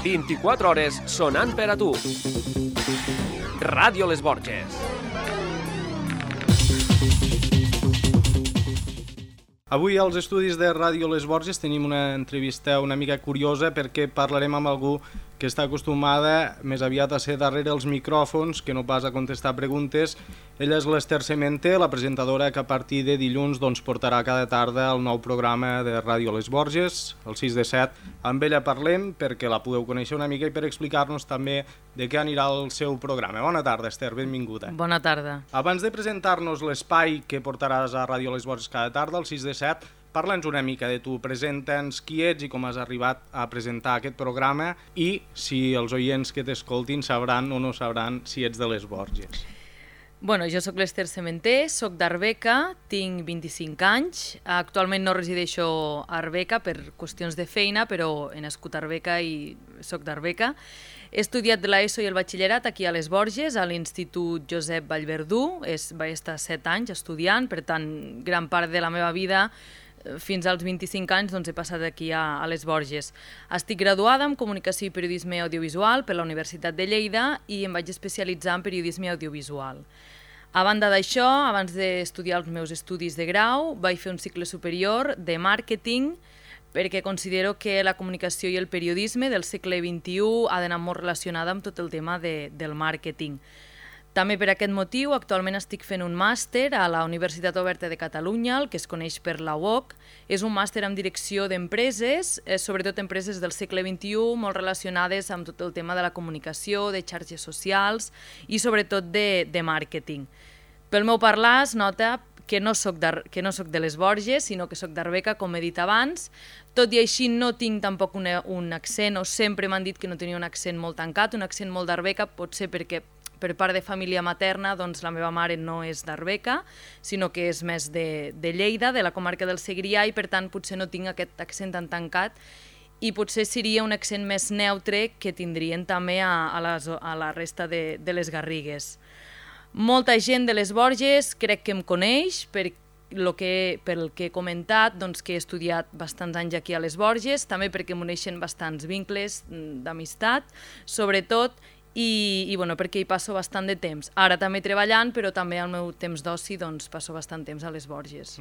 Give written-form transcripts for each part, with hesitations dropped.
24 hores sonant per a tu. Ràdio Les Borges. Avui als estudis de Ràdio Les Borges tenim una entrevista una mica curiosa perquè parlarem amb algú que està acostumada més aviat a ser darrere els micròfons que no pas a contestar preguntes. Ella és l'Ester Semente, la presentadora que a partir de dilluns portarà cada tarda el nou programa de Ràdio Les Borges, el 6 de 7. Amb ella parlem perquè la podeu conèixer una mica i per explicar-nos també de què anirà el seu programa. Bona tarda, Ester, benvinguda. Bona tarda. Abans de presentar-nos l'espai que portaràs a Ràdio Les Borges cada tarda, el 6 de 7, parla'ns una mica de tu, presenta'ns qui ets i com has arribat a presentar aquest programa i si els oients que t'escoltin sabran o no sabran si ets de Les Borges. Bueno, jo sóc l'Ester Semente, sóc d'Arbeca, tinc 25 anys, actualment no resideixo a Arbeca per qüestions de feina, però he nascut a Arbeca i sóc d'Arbeca. He estudiat l'ESO i el batxillerat aquí a Les Borges, a l'Institut Josep Vallverdú, vaig estar 7 anys estudiant, per tant, gran part de la meva vida fins als 25 anys he passat aquí a Les Borges. Estic graduada en Comunicació i Periodisme Audiovisual per la Universitat de Lleida i em vaig especialitzar en Periodisme Audiovisual. A banda d'això, abans d'estudiar els meus estudis de grau, vaig fer un cicle superior de màrqueting perquè considero que la comunicació i el periodisme del segle XXI ha d'anar molt relacionada amb tot el tema del màrqueting. També per aquest motiu, actualment estic fent un màster a la Universitat Oberta de Catalunya, el que es coneix per la UOC. És un màster en direcció d'empreses, sobretot empreses del segle XXI, molt relacionades amb tot el tema de la comunicació, de xarxes socials i sobretot de màrqueting. Pel meu parlar es nota que no soc de Les Borges, sinó que soc d'Arbeca, com he dit abans. Tot i així no tinc tampoc un accent, o sempre m'han dit que no tenia un accent molt tancat, un accent molt d'Arbeca, potser perquè per part de família materna, la meva mare no és d'Arbeca, sinó que és més de Lleida, de la comarca del Segrià, i per tant potser no tinc aquest accent tan tancat i potser seria un accent més neutre que tindrien també a la resta de les Garrigues. Molta gent de Les Borges crec que em coneix pel que he comentat, que he estudiat bastants anys aquí a Les Borges, també perquè m'uneixen bastants vincles d'amistat, sobretot, i perquè hi passo bastant de temps. Ara també treballant, però també al meu temps d'oci passo bastant temps a Les Borges.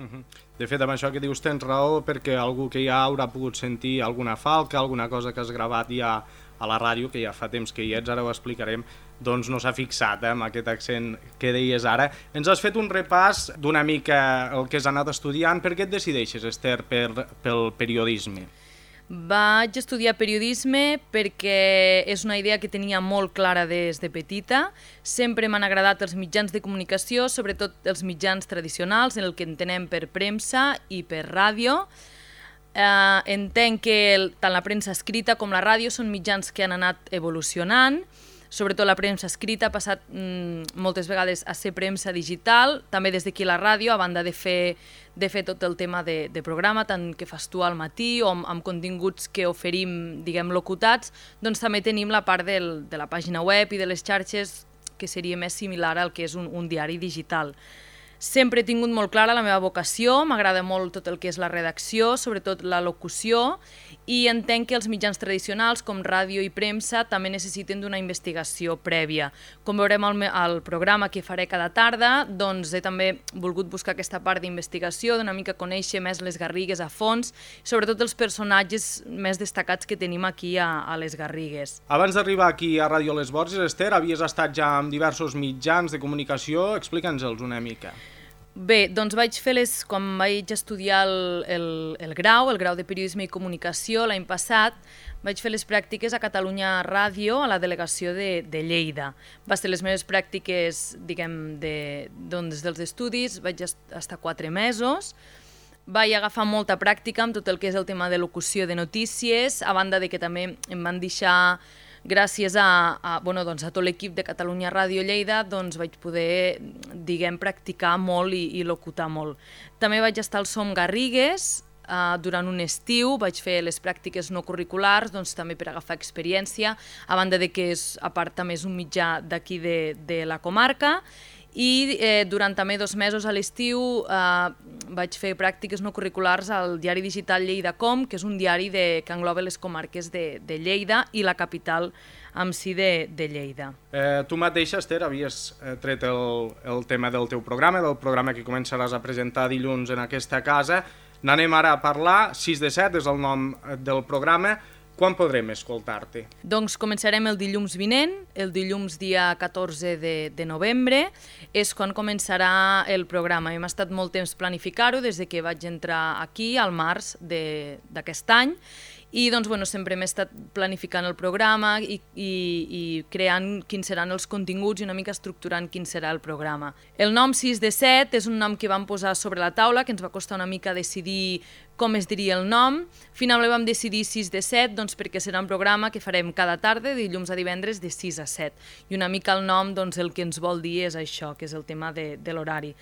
De fet, amb això que dius tens raó, perquè algú que ja haurà pogut sentir alguna falca, alguna cosa que has gravat ja a la ràdio, que ja fa temps que hi ets, ara ho explicarem, no s'ha fixat amb aquest accent que deies ara. Ens has fet un repàs d'una mica el que has anat estudiant. Per què et decideixes, Ester, pel periodisme? Vaig estudiar periodisme perquè és una idea que tenia molt clara des de petita. Sempre m'han agradat els mitjans de comunicació, sobretot els mitjans tradicionals, en el que entenem per premsa i per ràdio. Entenc que tant la premsa escrita com la ràdio són mitjans que han anat evolucionant. Sobretot la premsa escrita ha passat moltes vegades a ser premsa digital, també des d'aquí la ràdio, a banda de fer tot el tema de programa, tant que fas tu al matí o amb continguts que oferim, locutats, també tenim la part de la pàgina web i de les xarxes que seria més similar al que és un diari digital. Sempre he tingut molt clara la meva vocació, m'agrada molt tot el que és la redacció, sobretot la locució, i entenc que els mitjans tradicionals com ràdio i premsa també necessiten d'una investigació prèvia. Com veurem al programa que faré cada tarda, he també volgut buscar aquesta part d'investigació, d'una mica conèixer més les Garrigues a fons, sobretot els personatges més destacats que tenim aquí a les Garrigues. Abans d'arribar aquí a Ràdio Les Borges, Ester, havies estat ja amb diversos mitjans de comunicació, explica'ns-els una mica. Bé, vaig fer quan vaig estudiar el grau de Periodisme i Comunicació l'any passat, vaig fer les pràctiques a Catalunya Ràdio, a la delegació de Lleida. Va ser les meves pràctiques, dels estudis, vaig estar 4 mesos, vaig agafar molta pràctica amb tot el que és el tema de locució de notícies, a banda de que també em van deixar, gràcies a tot l'equip de Catalunya Ràdio Lleida, vaig poder, practicar molt i locutar molt. També vaig estar al Som Garrigues, durant un estiu, vaig fer les pràctiques no curriculars, també per agafar experiència, a banda de que a part també és un mitjà d'aquí de la comarca, i durant també 2 mesos a l'estiu vaig fer pràctiques no curriculars al diari digital Lleida.com, que és un diari que engloba les comarques de Lleida i la capital en si de Lleida. Tu mateixa, Esther, havies tret el tema del teu programa, del programa que començaràs a presentar dilluns en aquesta casa. N'anem ara a parlar. 6 de 7 és el nom del programa. Quan podrem escoltar-te? Doncs començarem el dilluns vinent, el dilluns dia 14 de novembre, és quan començarà el programa. Hem estat molt temps planificar-ho des que vaig entrar aquí, al març d'aquest any, i doncs, sempre hem estat planificant el programa i creant quins seran els continguts i una mica estructurant quin serà el programa. El nom 6 de 7 és un nom que vam posar sobre la taula, que ens va costar una mica decidir com es diria el nom. Finalment vam decidir 6 de 7 perquè serà un programa que farem cada tarda, dilluns a divendres, de 6 a 7. I una mica el nom el que ens vol dir és això, que és el tema de l'horari.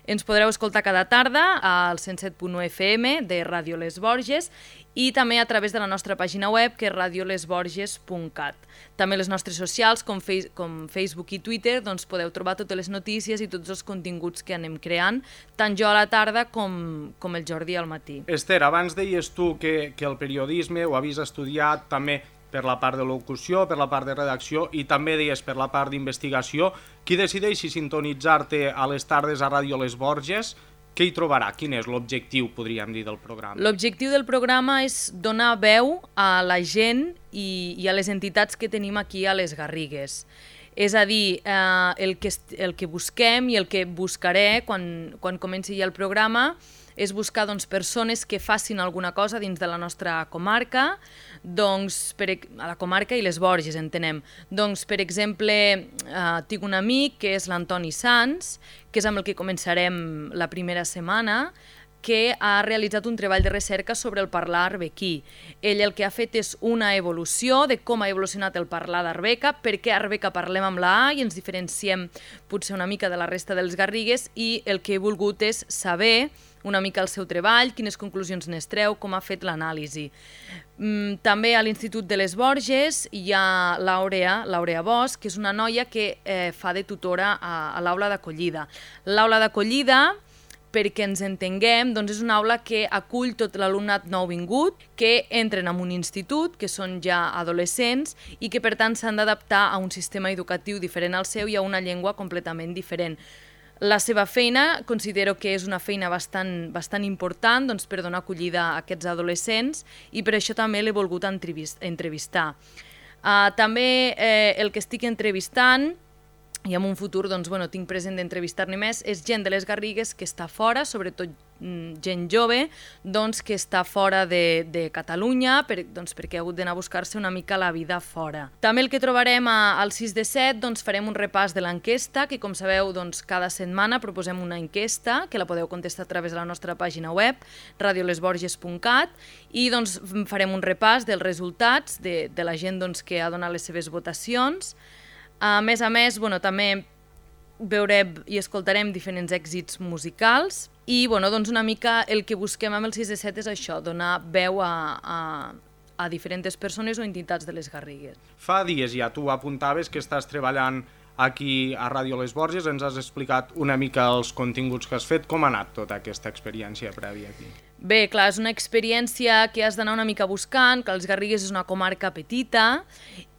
Ens podreu escoltar cada tarda al 107.1 FM de Ràdio Les Borges i també a través de la nostra pàgina web, que és radiolesborges.cat. També les nostres socials, com Facebook i Twitter, podeu trobar totes les notícies i tots els continguts que anem creant, tant jo a la tarda com el Jordi al matí. Esther, abans deies tu que el periodisme ho havies estudiat també per la part de locució, per la part de redacció i també deies per la part d'investigació. Qui decideix si sintonitzar-te a les tardes a Ràdio Les Borges? Què hi trobarà? Quin és l'objectiu, podríem dir, del programa? L'objectiu del programa és donar veu a la gent i a les entitats que tenim aquí a les Garrigues. És a dir, el que busquem i el que buscaré quan comenci ja el programa és buscar persones que facin alguna cosa dins de la nostra comarca, a la comarca i les Borges, entenem. Per exemple, tinc un amic que és l'Antoni Sans, que és amb el que començarem la primera setmana, que ha realitzat un treball de recerca sobre el parlar arbequí. Ell el que ha fet és una evolució de com ha evolucionat el parlar d'Arbeca, per què a Arbeca parlem amb la A i ens diferenciem potser una mica de la resta dels Garrigues, i el que he volgut és saber una mica el seu treball, quines conclusions n'extreu, com ha fet l'anàlisi. També a l'Institut de les Borges hi ha l'Àurea Bosch, que és una noia que fa de tutora a l'aula d'acollida. L'aula d'acollida, perquè ens entenguem, és una aula que acull tot l'alumnat nouvingut, que entren en un institut, que són ja adolescents, i que per tant s'han d'adaptar a un sistema educatiu diferent al seu i a una llengua completament diferent. La seva feina considero que és una feina bastant important per donar acollida a aquests adolescents i per això també l'he volgut entrevistar. També el que estic entrevistant, i en un futur tinc present d'entrevistar-ne més, és gent de les Garrigues que està fora, sobretot gent jove, que està fora de Catalunya, perquè ha hagut d'anar a buscar-se una mica la vida fora. També el que trobarem al 6 de 7, farem un repàs de l'enquesta, que com sabeu, cada setmana proposem una enquesta, que la podeu contestar a través de la nostra pàgina web, radiolesborges.cat, i farem un repàs dels resultats de la gent que ha donat les seves votacions. A més, també veurem i escoltarem diferents èxits musicals i una mica el que busquem amb el 6 de 7 és això, donar veu a diferents persones o entitats de les Garrigues. Fa dies ja tu apuntaves que estàs treballant aquí a Ràdio Les Borges, ens has explicat una mica els continguts que has fet. Com ha anat tota aquesta experiència prèvia aquí? Bé, clar, és una experiència que has d'anar una mica buscant, que les Garrigues és una comarca petita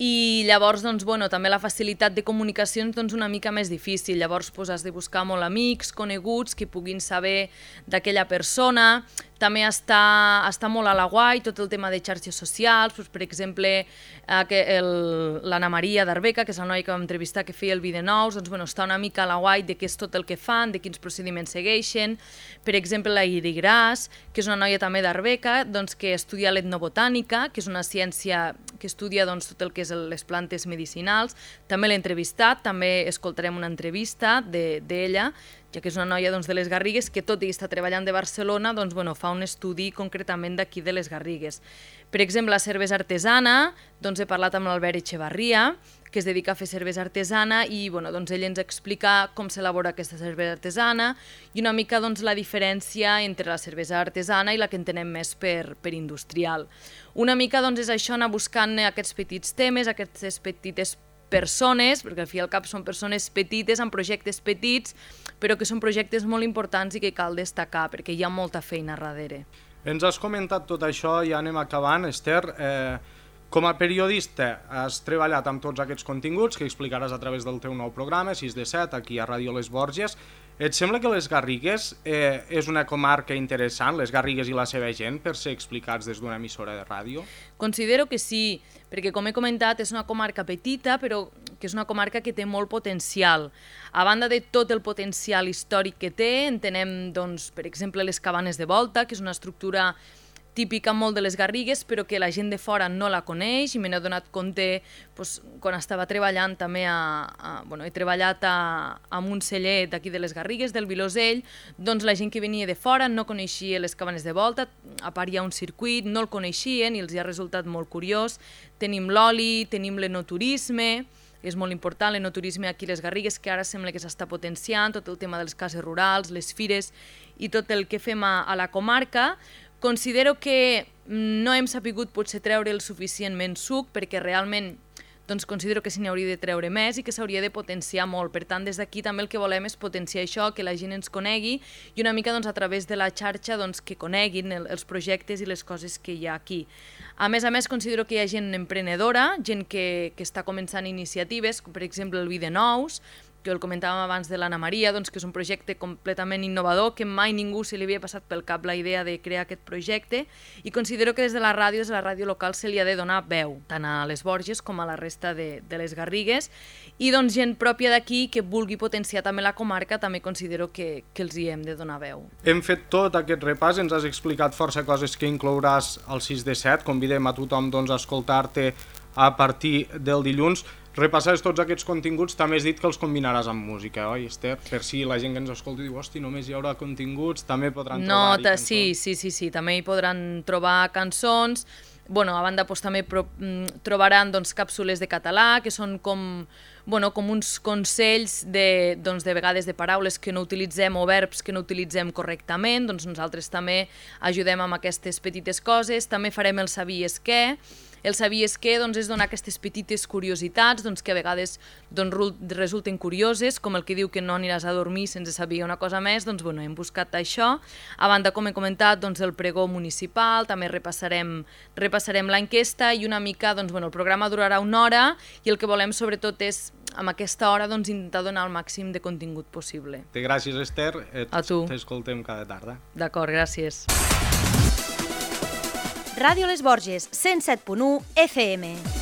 i llavors, també la facilitat de comunicació és una mica més difícil. Llavors has de buscar molt amics, coneguts, que puguin saber d'aquella persona. També està molt a la guai tot el tema de xarxes socials, per exemple, l'Anna Maria d'Arbeca, que és la noia que vam entrevistar que feia el Vídeo Nous, està una mica a la guai de què és tot el que fan, de quins procediments segueixen. Per exemple, la Iri Gras, que és una noia també d'Arbeca, que estudia l'etnobotànica, que és una ciència que estudia tot el que és les plantes medicinals. També l'he entrevistat, també escoltarem una entrevista d'ella, ja que és una noia de les Garrigues que, tot i estar treballant de Barcelona, fa un estudi concretament d'aquí de les Garrigues. Per exemple, la cervesa artesana, he parlat amb l'Albert Echevarria, que es dedica a fer cervesa artesana i ell ens explica com s'elabora aquesta cervesa artesana i una mica la diferència entre la cervesa artesana i la que entenem més per industrial. Una mica és això, anar buscant aquests petits temes, aquestes petites persones, perquè al fi i al cap són persones petites, amb projectes petits, però que són projectes molt importants i que cal destacar, perquè hi ha molta feina darrere. Ens has comentat tot això, ja anem acabant, Esther. Com a periodista has treballat amb tots aquests continguts que explicaràs a través del teu nou programa, 6 de 7, aquí a Ràdio Les Borges. Et sembla que les Garrigues és una comarca interessant, les Garrigues i la seva gent, per ser explicats des d'una emissora de ràdio? Considero que sí, perquè com he comentat és una comarca petita, però que és una comarca que té molt potencial. A banda de tot el potencial històric que té, entenem, doncs, per exemple, les Cabanes de Volta, que és una estructura típica molt de les Garrigues, però que la gent de fora no la coneix, i me n'he donat compte doncs, quan estava treballant també he treballat a un celler d'aquí de les Garrigues, del Vilosell, doncs la gent que venia de fora no coneixia les Cabanes de Volta, a part hi ha un circuit, no el coneixien i els ha resultat molt curiós. Tenim l'oli, tenim l'enoturisme, és molt important l'enoturisme aquí a les Garrigues, que ara sembla que s'està potenciant, tot el tema de les cases rurals, les fires i tot el que fem a la comarca. Considero que no hem sapigut potser treure el suficientment suc, perquè realment doncs, considero que se n'hauria de treure més i que s'hauria de potenciar molt. Per tant, des d'aquí també el que volem és potenciar això, que la gent ens conegui i una mica doncs, a través de la xarxa doncs, que coneguin els projectes i les coses que hi ha aquí. A més, considero que hi ha gent emprenedora, gent que està començant iniciatives, com per exemple el Vi de Nous, que el comentàvem abans de l'Anna Maria, doncs, que és un projecte completament innovador, que mai ningú se li havia passat pel cap la idea de crear aquest projecte, i considero que des de la ràdio local se li ha de donar veu, tant a les Borges com a la resta de les Garrigues, i doncs gent pròpia d'aquí que vulgui potenciar també la comarca, també considero que els hi hem de donar veu. Hem fet tot aquest repàs, ens has explicat força coses que inclouràs al 6 de 7, convidem a tothom doncs, a escoltar-te a partir del dilluns. Repassaràs tots aquests continguts, també has dit que els combinaràs amb música, oi, Esther? Per si la gent que ens escolta diu, hosti, només hi haurà continguts, també podran trobar-hi cançons. Sí, també hi podran trobar cançons. A banda també trobaran càpsules de català, que són com uns consells de vegades de paraules que no utilitzem o verbs que no utilitzem correctament, doncs nosaltres també ajudem amb aquestes petites coses. També farem el Sabies què. El Sabies què és donar aquestes petites curiositats que a vegades resulten curioses, com el que diu que no aniràs a dormir sense saber una cosa més, hem buscat això. A banda, com he comentat, el pregó municipal, també repassarem l'enquesta i una mica, el programa durarà 1 hora i el que volem sobretot és amb aquesta hora intentar donar el màxim de contingut possible. Gràcies, Esther. A tu. T'escoltem cada tarda. D'acord, gràcies. Ràdio Les Borges, 107.1 FM.